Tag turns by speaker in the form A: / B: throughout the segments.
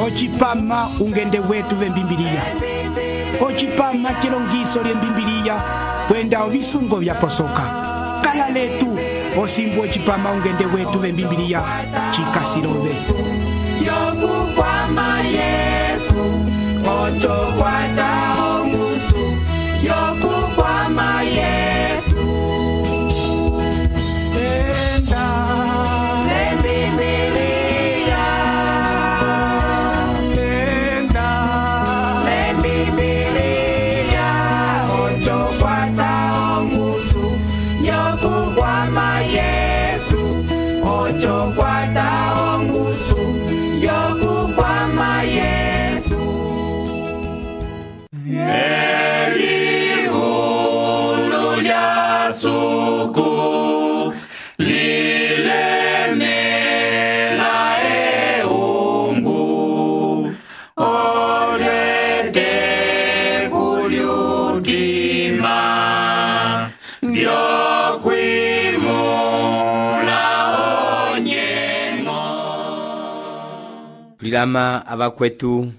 A: ocipama ungende wetu vembimbiliya, ocipama cilongiso lyembimbiliya kwenda ovisungo vyaposoka. Kala letu osimbu ocipama ungende wetu vembimbiliya cikasilove.
B: Yokukwama Yesu, ocho kwata ongusu. Yokukwama Yesu,
A: Enda
B: lembimbiliya,
A: enda
B: lembimbiliya, ocho kwata ongusu. Yokukwama Yesu, ocho kwata ongusu. Yokukwama Yesu. Elihulu lya suku lilemela eungu, olyete kulyutima byokwimula onyengo.
C: Tulilama abakwetu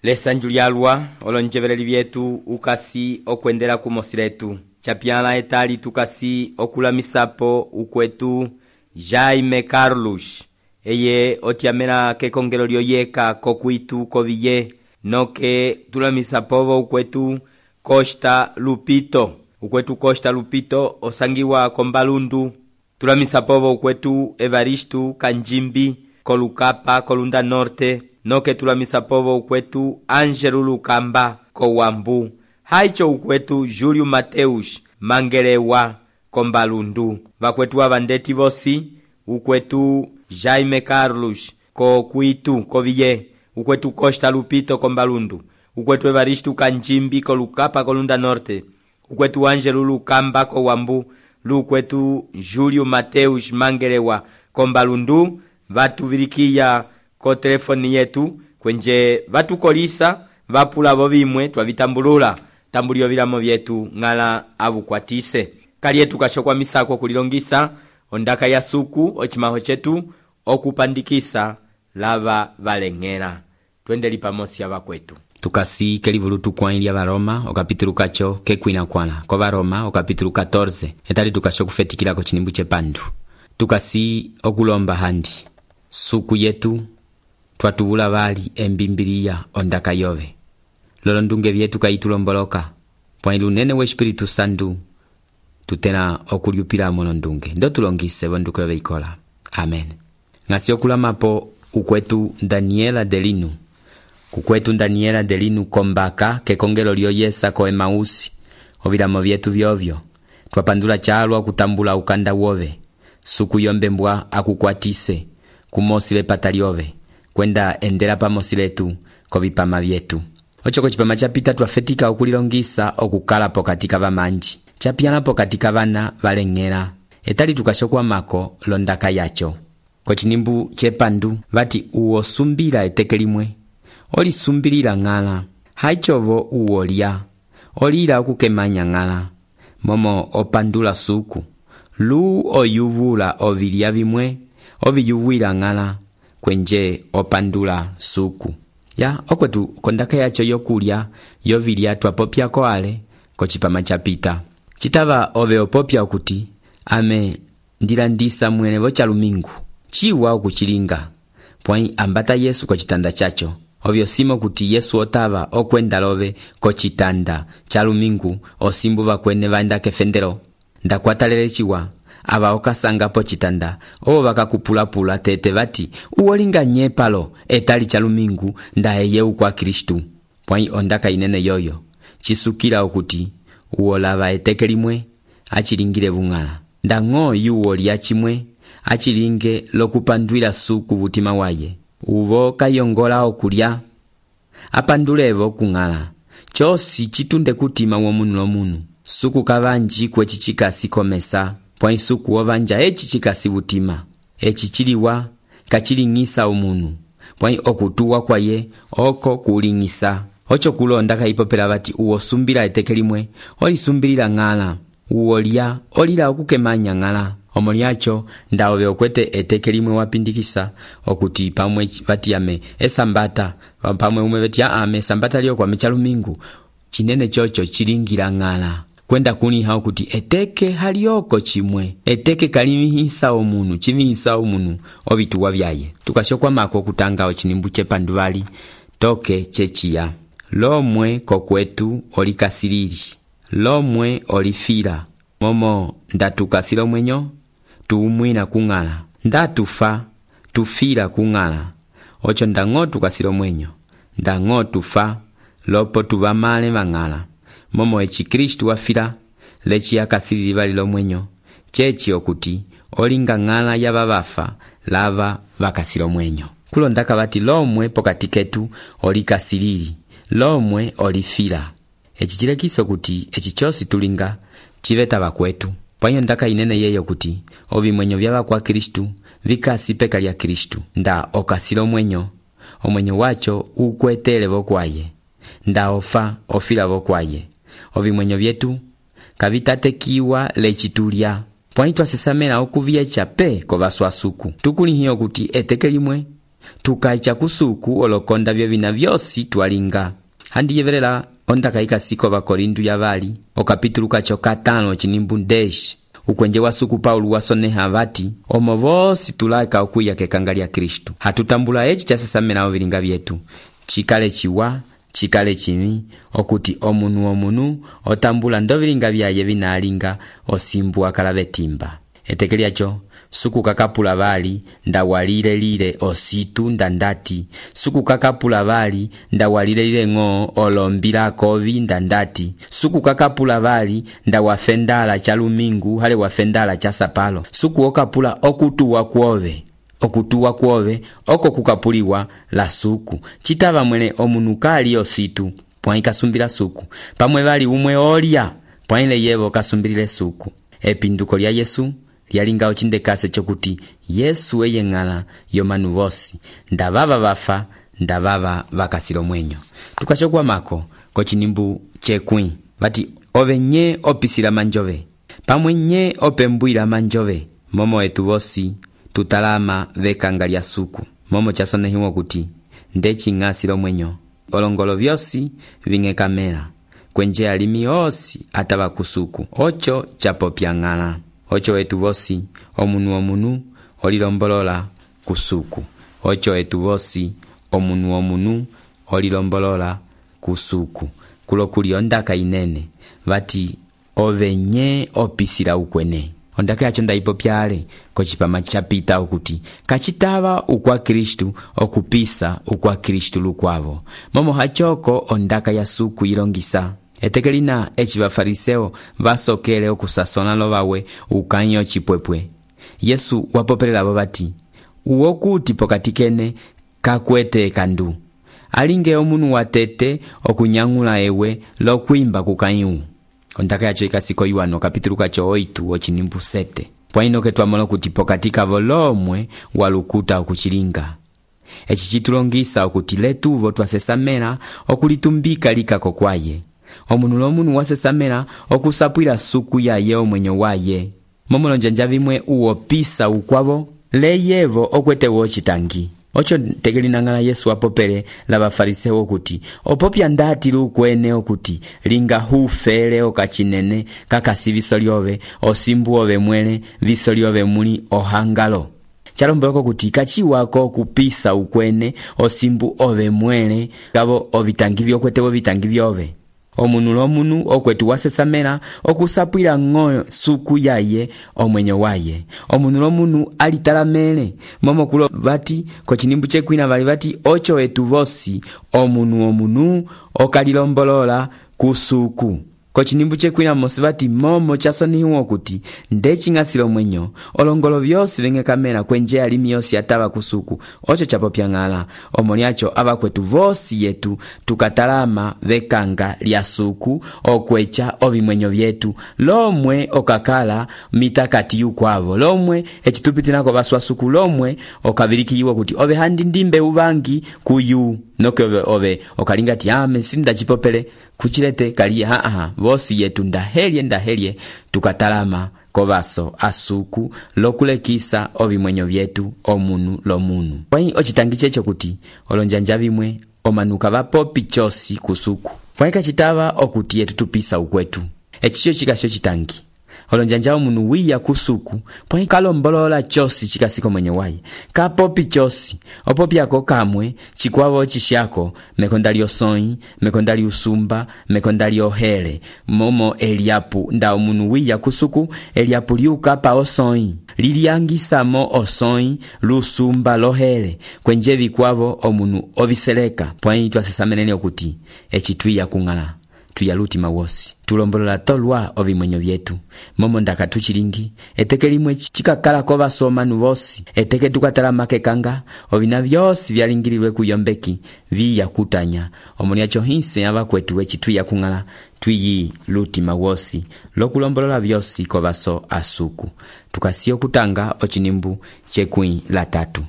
C: lesanju lyalwa olonjeveleli vyetu ukasi okwendela kumosi letu chapyala etali tukasi okulamisapo ukwetu Jaime Carlos eye otiamela kekongelo lyoyeka kokwitu koviye noke tulamisapovo ukwetu Costa Lupito. Ukwetu Costa Lupito osangiwa kombalundu. Tulamisapovo ukwetu Evaristo Kanjimbi kolukapa kolunda norte noke tulamisapovo ukwetu Angelo Lukamba kowambu. Haicho ukwetu Julio Mateus Mangelewa kombalundu. Vakwetu avandeti vosi ukwetu Jaime Carlos kokwitu koviye, ukwetu Costa Lupito kombalundu, ukwetu Evaristo Kanjimbi kolukapa kolunda norte, ukwetu Angelo Lukamba kowambu, lukwetu Julio Mateus Mangelewa kombalundu. Vatuvirikiya ko telefoni yetu kwenje vatukolisa vapula vovimwe twavitambulula tambulio vilamo vyetu ngala avukwatise kalietu kashokwa misako kulilongisa ondaka ya suku ochimaho chetu okupandikisa lava valengela. Twendeli pamosi abakwetu tukasi kelivulu tukwailya Varoma okapitulu kacho kekwina kwana ko Varoma okapitulu 14 etali tukashokufetikila ko chinimbu chepandu tukasi okulomba handi suku yetu twatubula vali embimbiliya ondaka yove lolo ndunge vyetu kaitulomboloka pwailu nene we Espiritu Santu tutena okulyupila mono ndunge ndo tulongise vonduko veikola. Amen. Ngasi okulamapo ukwetu Daniela Delinu kukwetu Daniela Delinu kombaka kekongelo lyoyesa ko Emausi ovilamo vyetu vyovyo twapandula chalwa kutambula ukanda wove suku yombembwa akukwatise kumosile patalyove kwenda endela pamosiletu kovipama vyetu. Ochoko chipama chapita twafetika okulilongisa okukalapo katika vamanji chapyanapo katika vana valengela etali tukashokwa mako londaka yacho kochinimbu chepandu vati uosumbila eteke limwe olisumbilila ng'ala haichovo uolya olila okukemanya ng'ala momo opandula suku lu oyuvula ovilya vimwe oviyuvwila ng'ala kwenje opandula suku ya okwetu kondaka yacho yokulya yovilya twapopyako ale kochipama chapita chitava ove opopya okuti ame ndilandisa mwene vochalumingu chiwa okuchilinga pwai ambata Yesu kochitanda chacho ovyo simo kuti Yesu otava okwenda love kochitanda chalumingu osimbu vakwene vaenda kefendelo ndakwatalele chiwa ava okasangapo chitanda o vakakupulapula tete vati uolinga nyepalo etali chalumingu ndaeye ukwa Kristu pwai ondaka inene yoyo chisukila okuti uolava eteke limwe achilingile vung'ala ndang'o yuolya chimwe achilinge lokupandwila suku vutima waye uvo kayongola okulya apandulevo kung'ala chosi chitunde kutima womunu lomunu suku kavanji kwechi chikasi komesa pwai suku ovanja echi chikasi vutima echi chiliwa kachiling'isa omunu pwai okutuwa kwaye oko kuling'isa ocho kulonda kaipopela vati uosumbila eteke limwe olisumbilila ng'ala uolya olila okukemanya ng'ala omolyacho ndaove okwete eteke limwe wapindikisa okuti pamwe vatiyame esambata pamwe umwe vetia ame esambata lyo kwame chalumingu chinene chocho chilingila ng'ala kwenda kuniha okuti eteke halioko chimwe eteke kalimihisa omunu chimihisa omunu ovituwa vyaye tukashokwa mako kutanga ochinimbu chepanduvali toke chechiya lomwe kokwetu olikasilili lomwe olifila momo ndatukasila omwenyo tuumwina kung'ala ndatufa tufila kung'ala ocho ndang'o tukasila omwenyo ndang'o tufa lopo tuvamale mang'ala momo eci Kristu wafila lechi yakasilili vali lomwenyo chechi okuti olinga ng'ala yava vafa lava vakasila omwenyo kulondaka vati lomwe pokati ketu olikasilili lomwe olifila eci chilekisa kuti eci chosi tulinga chiveta vakwetu pwanyo ndaka inene yeyo kuti ovimwenyo vyava kwa Kristu vikasi peka lya Kristu nda okasila omwenyo wacho ukwetele vokwaye nda ofa ofila vokwaye ovimwenyo vyetu kavitatekiwa lechitulya pwanyi twasesamela okuvyecha pe kovaswasuku tukulihiyo kuti eteke limwe tukaicha kusuku olokonda vyo vina vyosi twalinga handiyevelela ondaka ikasiko vakorindu yavali okapitulu kacho 5 chinimbu 10 ukwenje wa suku Paulo wasoneha vati omo vosi tulaka okuya kekanga lya Kristu hatutambula eci chasesamela ovilinga vyetu chikale chiwa chikale chimi okuti omunu otambula ndovilinga vyaye vinalinga osimbu akala vetimba eteke lyacho suku kakapula vali ndawalile ositu ndandati suku kakapula vali ndawalile ng'o olombila kovi ndandati suku kakapula vali ndawafendala chalumingu hale wafendala cha sapalo suku okapula okutuwa kwove oko kukapuliwa la suku chitava mwene omunu kali ositu pwanyi kasumbila suku pamwe vali umwe olya pwanyi yevo kasumbilile suku epinduko lya Yesu lyalinga ochindekase chokuti Yesu eye ng'ala yomanu vosi ndavava vafa ndavava vakasila omwenyo tukashokwa mako kochinimbu chekwi vati ove nye opisila manjove pamwe nye opembwila manjove momo etu vosi tutalama vekanga lya suku momo chasonehiwa kuti ndeching'asila omwenyo olongolo vyosi ving'ekamela kwenje alimi osi atava kusuku ocho chapopya ng'ala ocho etu vosi omunu olilombolola kusuku ocho etu vosi omunu olilombolola kusuku kulo kuli ondaka inene vati ovenye opisila ukwene ondaka yacho ndaipopyale kochipama chapita okuti kachitava ukwa Kristu okupisa ukwa Kristu lukwavo momo hachoko ondaka ya suku ilongisa eteke lina eci bafariseo basokele okusasona lobawe ukanyo chipwepwe Yesu wapopelela bobati uwokuti pokati kene kakwete kandu alinge omunu watete okunyangula ewe lokwimba kukanyu ondaka yacho ikasiko Yohana kapitulu kacho 8 ochinimbu 7 pwaino ketwamolo kuti pokati kavo lomwe walukuta okuchilinga eci chitulongisa okuti letuvo twasesamela okulitumbika likako kwaye omunu lomunu wasesamela okusapwila suku yaye omwenyo waye momolonjanja vimwe uopisa ukwavo leyevo okwete wochitangi ocho tegelina ngala Yesu apopele la bafariseo kuti opopya ndati lukwene okuti linga hufele okachinene kakasi visolyove osimbu ove mwele visolyove muli ohangalo chalomboloko kuti kachiwako kupisa ukwene osimbu ove mwele gavo ovitangivyo okwete ovitangivyo omunu lomunu okwetu wasesamela okusapwila ng'o suku yaye omwenyo waye omunu lomunu alitalamele momo kulo vati kochinimbu chekwina vali vati ocho etu vosi omunu okalilombolola kusuku kochinimbu chekwina mosi vati momo chasonihiwa kuti ndeching'asila omwenyo olongolo vyosi veng'ekamela kwenje alimi yosi atava kusuku ocho chapopya ng'ala omolyacho abakwetu vosi yetu tukatalama vekanga lya suku okwecha ovimwenyo vyetu lomwe okakala mitakati yukwavo lomwe echitupitinako baswasuku lomwe okabilikiyiwa kuti ove handi ndimbe uvangi kuyu noke ove okalinga ti mesinda chipopele kuchilete kaliye vosi yetu ndahelye tukatalama kovaso asuku lokulekisa ovimwenyo vyetu omunu lomunu. Pwai ochitangi checho kuti olonjanja vimwe omanuka vapopi chosi kusuku. Pwai kachitava okuti yetu tupisa ukwetu. Echicho chikasio chitangi olonjanja omunu wiya kusuku pwai kalombolola chosi chikasiko mwenye wayi kapopi chosi opopi ako kamwe chikwavo chishako mekondali osoi mekondali usumba mekondali ohele momo eliapu nda omunu wiya kusuku eliapu liukapa osoi liliangisamo osoi lusumba lohele kwenje vikwavo omunu oviseleka. Pwai twasesamenene okuti echitwiya kung'ala tuyalutima wosi tulombolola tolwa ovimwenyo vyetu momo ndaka tuchilingi eteke limwe chikakala kovasomanu vosi eteke tukatalamake kanga ovina vyosi vyalingililwe kuyombeki viya kutanya omoni acho hinse avakwetu wechitwiya kung'ala twiyi lutima wosi lokulombolola vyosi kovaso asuku. Tukasiyo kutanga ochinimbu chekwi la 3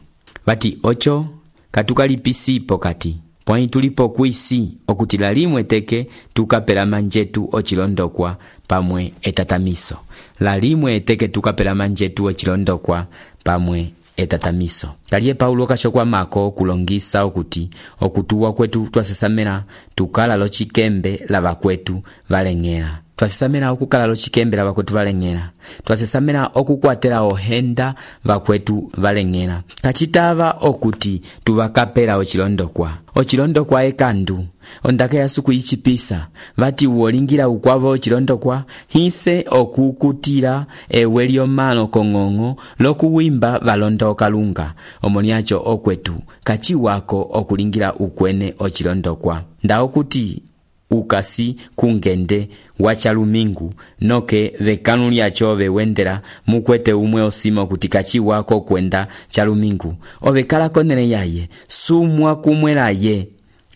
C: vati ocho katukalipisi pokati pwai tulipo kuisi okuti lalimwe teke tukapela manjetu ochilondokwa pamwe etatamiso. Lalimwe teke tukapela manjetu ochilondokwa pamwe etatamiso. Kaliye Paulo kashokwa mako kulongisa okuti okutuwa kwetu twasesamena tukala lochikembe lava kwetu valeng'ela. Twasesamena okukala lochikembe lava kwetu valeng'ela. Twasesamena okukwatela ohenda vakwetu valeng'ela. Kachitava okuti tuvakapela ochilondokwa ekandu ondaka yasuku ichipisa vati uolingira ukwavo ochilondokwa hinse okukutila ewe lyomalo kong'ong'o lokuwimba valondoka lunga omoni acho okwetu kachiwako okulingira ukwene ochilondokwa nda okuti ukasi kungende wachalumingu noke vekanu lyacho vewendela mukwete umwe osima kuti kachiwako kwenda chalumingu ovekala konene yaye sumwa kumwelaye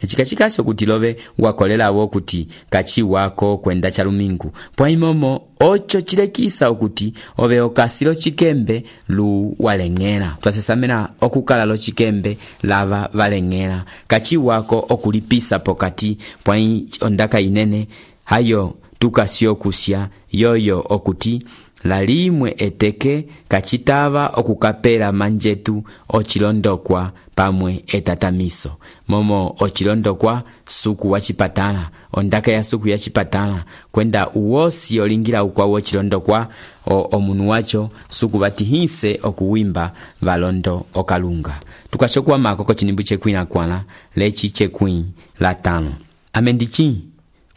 C: echikachikasho kuti love wakolelawo kuti kachiwako kwenda chalumingu pwai momo ocho chilekisa okuti ove okasilo chikembe lu waleng'ela. Twasesamena okukala lo chikembe lava valeng'ela kachiwako okulipisa pokati pwai ondaka inene hayo tukasio kusya yoyo okuti lalimwe eteke kachitava okukapela manjetu ochilondokwa pamwe etatamiso momo ochilondokwa suku wachipatala ondaka ya suku yachipatala kwenda uwosi olingira ukwawo ochilondokwa omunu wacho suku vati hinse okuwimba valondo okalunga. Tukachokwa mako kochinimbu chekwi na kwana lechi chekwi la 5 amendichi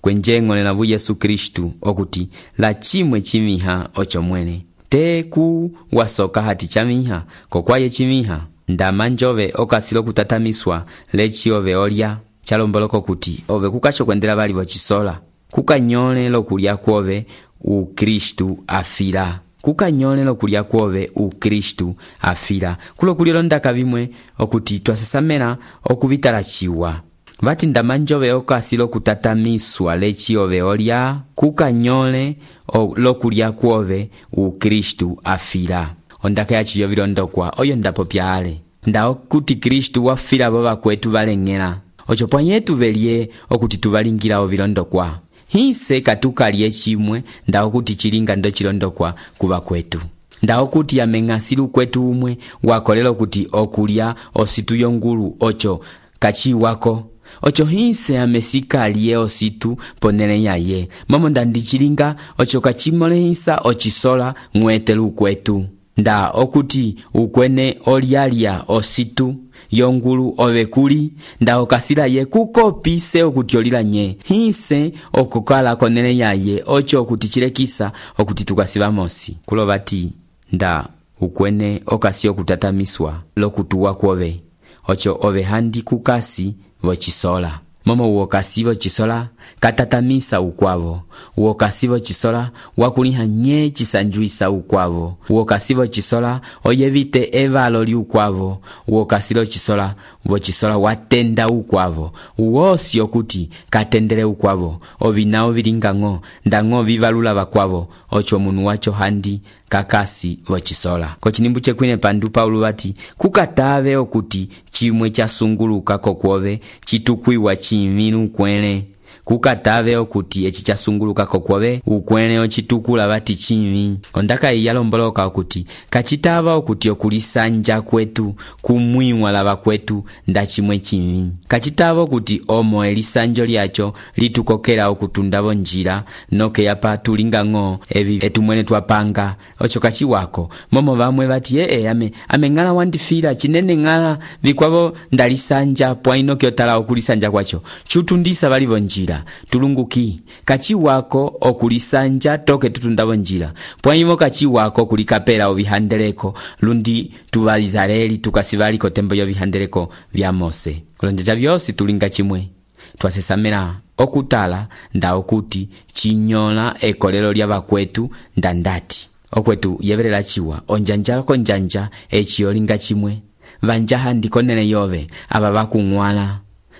C: kwenjeng'olela vu Yesu Kristu okuti la chimwe chimiha ocho mwene teku wasoka hati chamiha kokwaye chimiha ndama njove okasilo kutatamiswa lechi ove olya chalomboloko kuti ove kukacho kwendela vali vochisola kukanyole lokulya kwove ukristu afira kukanyole lokulya kwove ukristu afira kulokulilo ndaka vimwe okuti twasesamena okuvitala chiwa vati ndamanjove okasilo kutatamiswa lechi ove olya kukanyole lokulya kwove ukristu afira ondaka yachi yovilondokwa oyo ndapo pyale ndao kuti kristu wafira vo vakwetu valeng'ela ocho pwanyetu velye okuti tuvalingira ovilondokwa hinse katukalye chimwe ndao kuti chilinga ndo chilondokwa kuva kwetu ndao kuti yameng'asilu kwetu umwe wakolela kuti okulya ositu yongulu ocho kachiwako ocho hinse amesikalie ositu ponele yaye momo ndandichilinga ocho kachimolehisa ochisola mwetelu kwetu nda okuti ukwene olialia ositu yongulu ovekuli nda okasila ye kukopise okuti olilanye hinse okukala konele yaye ocho okuti chilekisa okuti tukasiva mosi kulovati nda ukwene okasi okutatamiswa lokutuwa kwove ocho ove handi kukasi vochisola momo uokasi vochisola katatamisa ukwavo uokasi vochisola wakuliha nye chisanjuisa ukwavo uokasi vochisola oyevite evalo li ukwavo uokasi vochisola watenda ukwavo uosi okuti katendele ukwavo ovinao vilingang'o ndang'o vivalula vakwavo ocho munu wacho handi kakasi vochisola. Kochinimbu chekwine pandu Paulo vati kukatave okuti chimwe chasunguluka kokwove chitukwiwa chimi ukwele kukatave okuti eci chasunguluka kokwove ukwele ocitukula vati chimi. Ondaka iyi yalomboloka okuti kachitava okuti okulisanja kwetu kumwiwa lava kwetu nda chimwe chimi. Kachitava okuti omo elisanjo lyacho litukokela okutundavo njira noke yapa tulinga ng'o evi etumwene twapanga ocho kachiwako momo vamwe vati ame ngala wandifira chinene ngala vikwavo ndalisanja pwaino kyotala okulisanja kwacho chutundisa valivo njira tulunguki kachiwako okulisanja toke tutundavo njira pwaimo kachiwako kulikapela ovihandeleko lundi tuvalizaleli tukasivaliko tembo yovihandeleko vya Mose. Kulonjeja vyosi tulinga chimwe twasesamela okutala nda okuti chinyola ekolelo lya vakwetu ndandati okwetu yevelela chiwa onjanja konjanja echiyolinga chimwe vanjaha ndikonene yove aba vakung'wala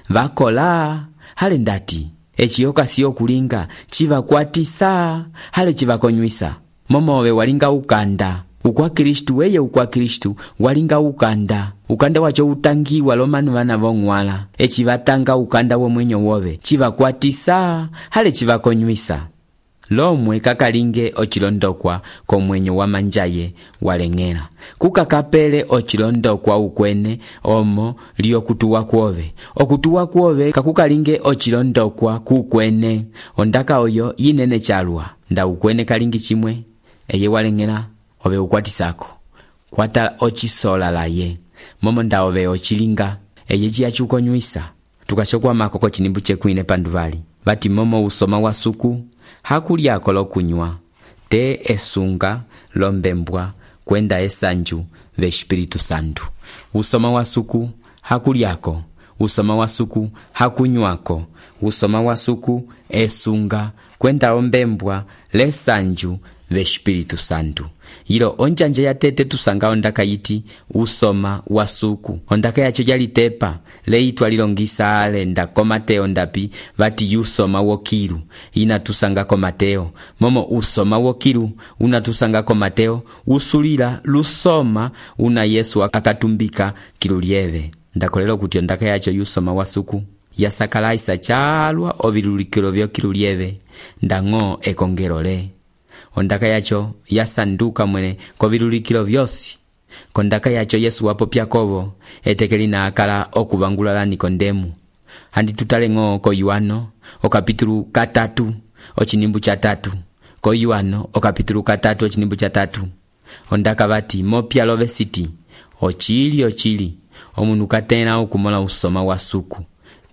C: vakola hale ndati echiyoka siyo kulinga chiva kwatisa hale chiva konywisa momove walinga ukanda ukwa Kristu weye ukwa Kristu walinga ukanda wacho utangiwa lomanu vana vong'wala echivatanga ukanda womwenyo wove chiva kwatisa hale chiva konywisa lomwe kakalinge ochilondokwa komwenyo wa manjaye waleng'ela kukakapele ochilondokwa ukwene omo liyo kutuwa kwove okutuwa kwove kakukalinge ochilondokwa kukwene ondaka oyo inene chalwa nda ukwene kalingi chimwe eye waleng'ela ove ukwatisako kwata ochisola laye momo nda ove ochilinga eye chiyachukonywisa tukachokwa makoko chinimbu chekwine panduvali vati momo usoma wa suku hakulyako lokunywa te esunga lombembwa kwenda esanju ve Espiritu Santu. Usoma wa suku hakulyako, usoma wa suku hakunywako, usoma wa suku esunga kwenda ombembwa lesanju ve Espiritu Santu. Yilo onjanje ya tete tusanga ondaka yiti usoma wa suku ondaka yacho yalitepa leitwa lilongisa ale ndako Mateo ndapi vati usoma wokilu ina tusanga ko Mateo momo usoma wokilu una tusanga ko Mateo usulila lusoma una Yesu akatumbika kilulieve ndakolelo kuti ondaka yacho usoma wa suku yasakalaisa chalwa ovilulikilo vyo kilulieve ndang'o ekongerole ondaka yacho yasanduka mwene kovilulikilo vyosi kondaka yacho Yesu wapo Yakobo etekelina akala okuvangulala Nikodemu handi tutale ng'o ko Yohano okapitulu 3 ochinimbu cha 3 ko Yohano okapitulu 3 ochinimbu cha 3 ondaka vati mopya love city ochili omunu katena okumola usoma wa suku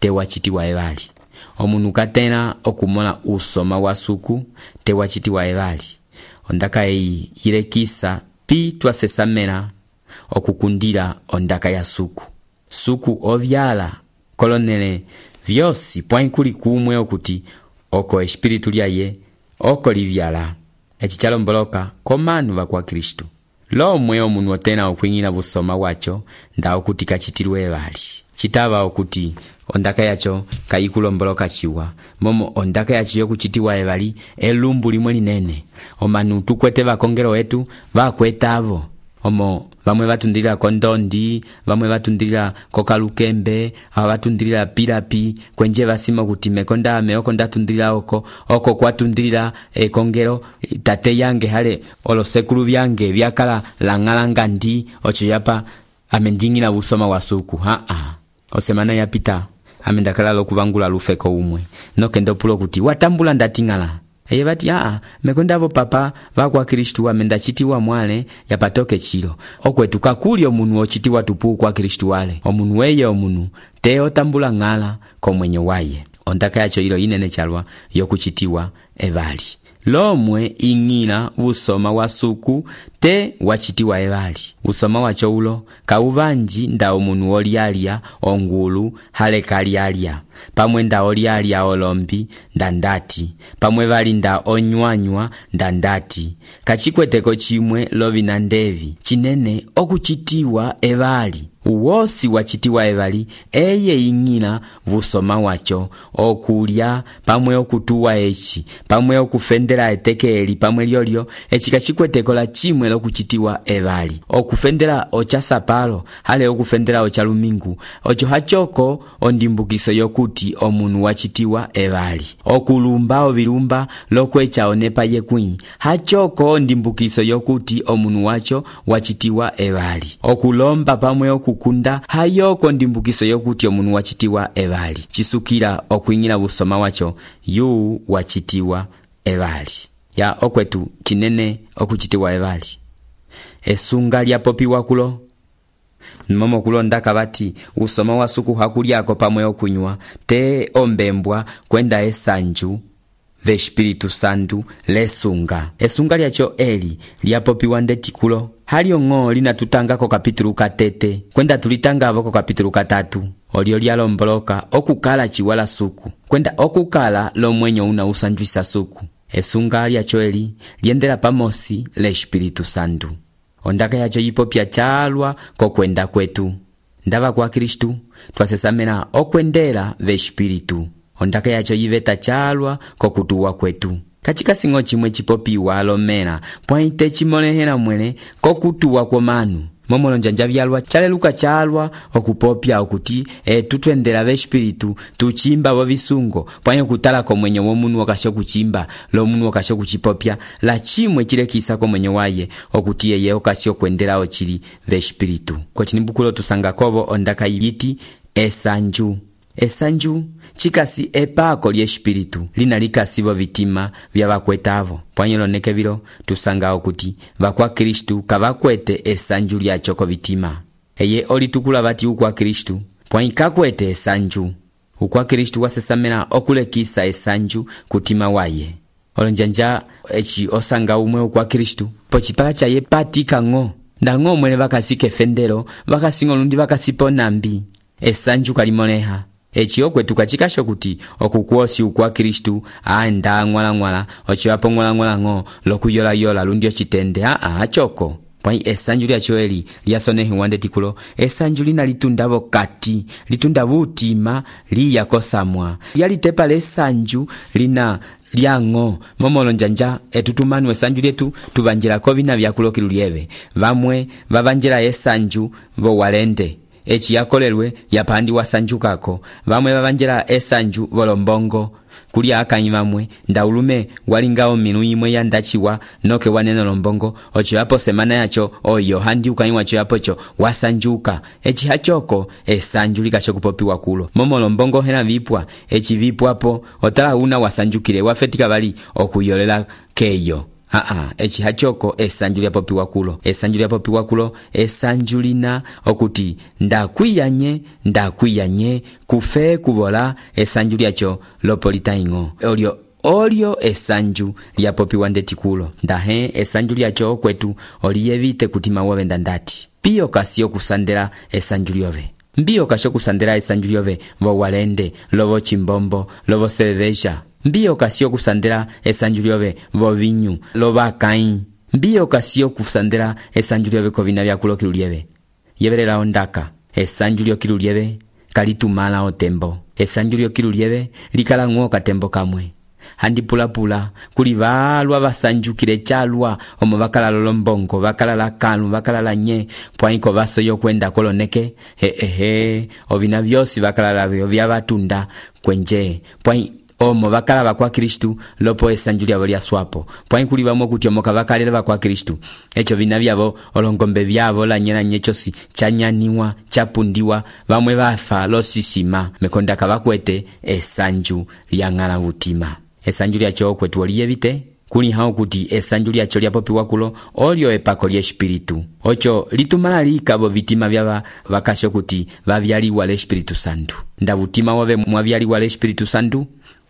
C: te wachitiwa evali omunu katena okumola usoma wa suku te wachitiwa evali ondaka eyi yilekisa pi twasesamela okukundira ondaka ya suku ovyala kolonele vyosi pwankuli kumwe okuti oko espiritu lyaye oko livyala echi chalomboloka komanu vakwa Kristu lomwe omunu otena okwing'ina busoma wacho nda okuti kachitilwe evali chitava okuti ondaka yacho kayikulomboloka chiwa momo ondaka yacho yokuchitiwa evali elumbu limwe linene omanu tukwete vakongero wetu vakwetavo omo vamwe vatundilira kondondi vamwe vatundilira kokalukembe ava vatundilira pilapi kwenje vasima kuti mekonda meoko ndatundilira oko kwatundilira ekongero tate yange hale olosekulu vyange vyakala lang'alanga ndi ocho yapa amendingila busoma wa suku osemana yapita amendakala lokuvangula lufeko umwe nokendo pulo kuti watambula ndatingala eye vati mekondavo papa vakwa Kristu amendachitiwa mwale yapatoke chilo okwetu kakuli omunu ochitiwa tupu kwa Kristu wale omunu weye omunu te otambula ng'ala komwenyo waye ondaka yacho ilo inene chalwa yokuchitiwa evali lomwe ing'ila usoma wa suku te wachitiwa evali usoma wacho ulo kauvanji nda omunu olialia ongulu hale kalialia pamwe nda olialia olombi ndandati pamwe vali nda onywanywa ndandati kachikweteko chimwe lovina ndevi chinene okuchitiwa evali uwosi wacitiwa evali eye ing'ila vusoma wacho okulya pamwe okutuwa eci pamwe okufendela etekeli pamwe lyolyo eci kacikwetekola chimwe lokucitiwa evali okufendela ocha sapalo hale okufendela ocha lumingu ocho hachoko ondimbukiso yokuti omunu wacitiwa evali okulumba ovilumba lokwecha onepa yekwi hachoko ondimbukiso yokuti omunu wacho wacitiwa evali okulomba pamwe okukunda hayoko ndimbukiso yokuti omunu wacitiwa evali chisukila okwing'ila busoma wacho yu wacitiwa evali ya okwetu chinene okucitiwa evali esunga lyapopiwa kulo momo kulondaka bati usoma wasuku hakulyako pamwe okunywa te ombembwa kwenda esanju vespiritu santu lesunga esunga lyacho eli lyapopiwa ndetikulo halio ng'o linatutangako kapitulu katete kwenda tulitangavo ko kapitulu katatu olio lyalomboloka okukala chiwala suku kwenda okukala lomwenyo una usanjwisa suku esunga lyacho eli liendela pamosi le espiritu santu ondaka yacho yipopya chalwa kokwenda kwetu ndava kwa Kristu twasesamena okwendela ve espiritu ondaka yacho yiveta chalwa kokutuwa kwetu kachika singo chimwe chipopiwa alomela pwaite chimolehela mwele kokutuwa kwa manu momolo njanja vyalwa chaleluka chalwa okupopya okuti tutwendela ve espiritu tuchimba vo visungo pwanye kutala ko mwenyo womunu wakasho kuchimba lo munu wakasho kuchipopya la chimwe chilekisa ko mwenyo waye okuti yeye okasho kwendela ochili ve espiritu ko chinimbukulo tusanga kovo ondaka yiti esanju chikasi epako lye espiritu linalikasivo vitima vya vakwetavo pwanyelo nekevilo tusanga okuti vakwa Kristu kavakwete esanju lyacho ko vitima eye olitukula bati ukwa Kristu pwanyikakwete esanju ukwa Kristu wasesamena okulekisa esanju kutima waye olonjanja echi osanga umwe ukwa Kristu pochipala chaye patika ng'o ndang'o mwene vakasike fendelo vakasingo lundi vakasipo nambi esanju kalimoleha echi okwetu kachikasho kuti okukwosi ukwa Kristu aenda ngwala ochiwapo ngwala ng'o lokuyola lundi ochitende achoko pwai esanju lyacho eli lyasonehi wande tikulo esanju lina litundavo kati litunda vutima liyakosamwa lyalitepa lesanju lina lyang'o momolo njanja etutumanu esanju lyetu tuvanjilako vina vyakulokilu lyeve vamwe vavanjila esanju vo walende echi yakolelwe yapandi wasanjukako vamwe vavanjela esanju volombongo kuli akanyi vamwe ndaulume walingao minu imwe yandachiwa noke waneno lombongo ocho yapo semana yacho oyo handi ukanyi wacho yapocho wasanjuka echi hachoko esanju likasho kupopiwa kulo momo lombongo hena vipwa echi vipwapo otala una wasanjukile wafetika bali okuyolela keyo echi hachoko esanju lyapopiwa kulo esanju lina okuti ndakwiyanye kufe kubola esanju lyacho lopolita ing'o olio esanju lyapopiwa ndetikulo ndahe esanju lyacho okwetu oliyevite kutima wovenda ndati piyo kasio kusandela esanju lyove mbiyo kasho kusandela esanju lyove vo walende lovo chimbombo lovo cerveja mbiyo kasio kusandela esanju lyove vo vinyu lova kai mbiyo kasio kusandela esanju lyove ko vina vyakulokilu lyeve yevelela ondaka esanju lyokilu lyeve kalitumala otembo esanju lyokilu lyeve likala ng'o katembo kamwe handi pulapula kuli valwa vasanjukile chalwa omo vakala lolombongo vakala la kanu vakala la nye pwaiko vaso yokwenda koloneke ovina vyosi vakala lavyo vya vatunda kwenje pwai omo vakala vakwa Kristu lopo esanju lyavo lya swapo pwai kuli vamo kuti omo kavakalele vakwa Kristu echo vina vyavo olongombe vyavo la nyena nyechosi chanyaniwa chapundiwa vamwe vafa losisima mekonda kavakwete esanju lyang'ala vutima esanju lyacho okwetu oliyevite kuli hao kuti esanju lyacho lyapopiwa kulo olio epako lye espiritu ocho litumala likavo vitima vyava vakasho kuti vavyaliwa le espiritu santu ndavutima wove mwavyaliwa le espiritu santu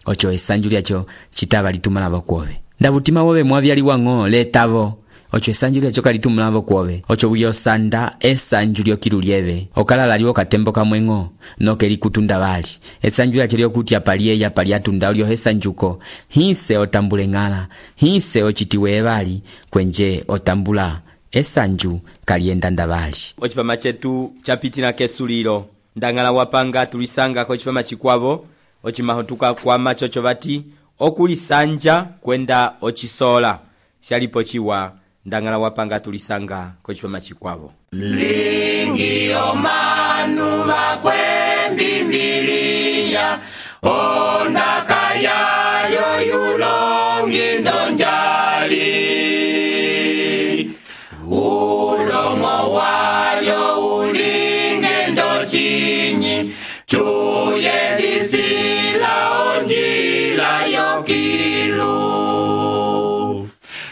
C: ocho esanju lyacho chitava litumala vokuove ndavutima wove mwavyaliwa ng'o letavo ocho esanju lyacho kalitumala vokuove ocho uyosanda esanju lyokilu lyeve okalala lyo katembo kamwe ng'o noke likutunda vali esanju lyacho lyokuti apaliye apaliatunda olio esanjuko hise otambule ng'ala hise ochitiwe vali kwenje otambula esanju kalienda ndavali. Ocipama cetu capitina kesulilo ndang'ala wapanga tulisanga kocipama cikwavo ocimaho tukakwama coco vati okulisanja kwenda ocisola syalipo ciwa ndang'ala wapanga tulisanga kocipama cikwavo.
B: Lingi omanu vakwembimbiliya ondaka yayo yulongi ndonjali ulomo walyo ulinge ndochinyi cuye lisila onjila yokilu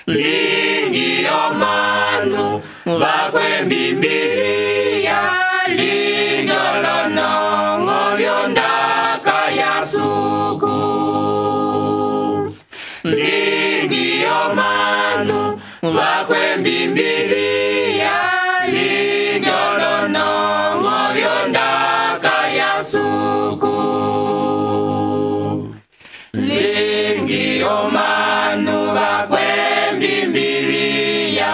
B: lingi omanu vakwembimbiliya linjolonongo lyondaka yasuku lingi omanu vakwembimbiliya linjolonongo lyondaka yasuku lingi omanu vakwembimbiliya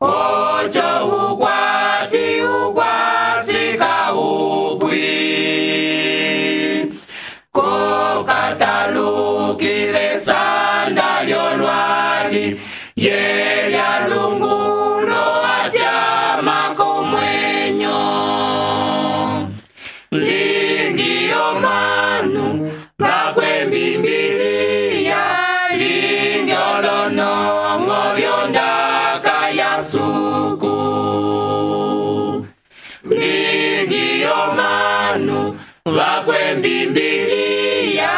B: ocho ukwati ukwasika ukwi kokatalukile sanda lyolwali yelya lungulo atyama komwenyo lingi omanu vakwembimbiliya linjolonongo lyondaka yasuku lingi omanu vakwembimbiliya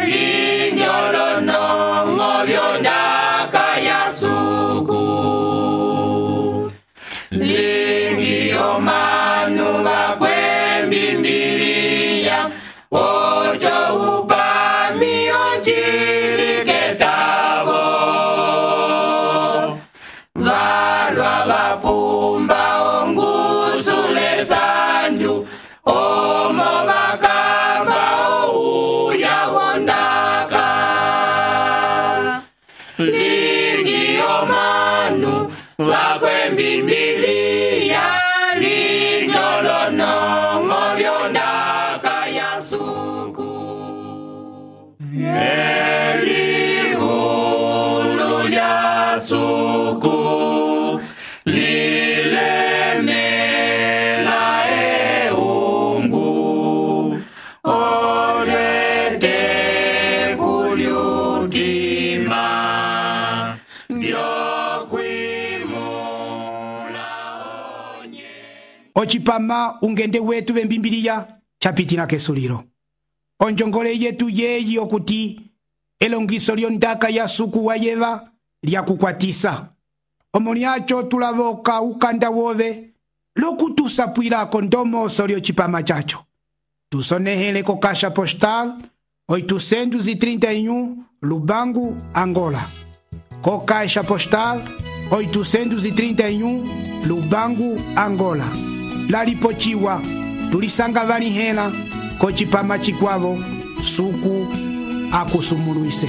B: linjolonongo lyondaka yasuku lingi omanu vakwembimbiliya ocho upami onciliketavo valwa vapumba ongusule sanju omo vakamba ouya wondaka lingi omanu vakwembimbiliya linjolonongo lyondaka yasuku elihulu lyasuku lilemela eungu olete kulyutima byokwimula onye.
A: ocipama ungende wetu vembimbiliya capitina kesulilo onjongole yetu yeyi okuti elongiso lyondaka yasuku wayeva lyakukwatisa omo lyaco tulavoka ukanda wove lokutusapwilako ndomoso lyocipama caco tusonehele ko caixa postal 831 Lubangu, Angola. Co caixa postal 831 Lubangu, Angola. Lalipochiwa tulisanga vanihela ko cipama cikwavo suku akusumuluise.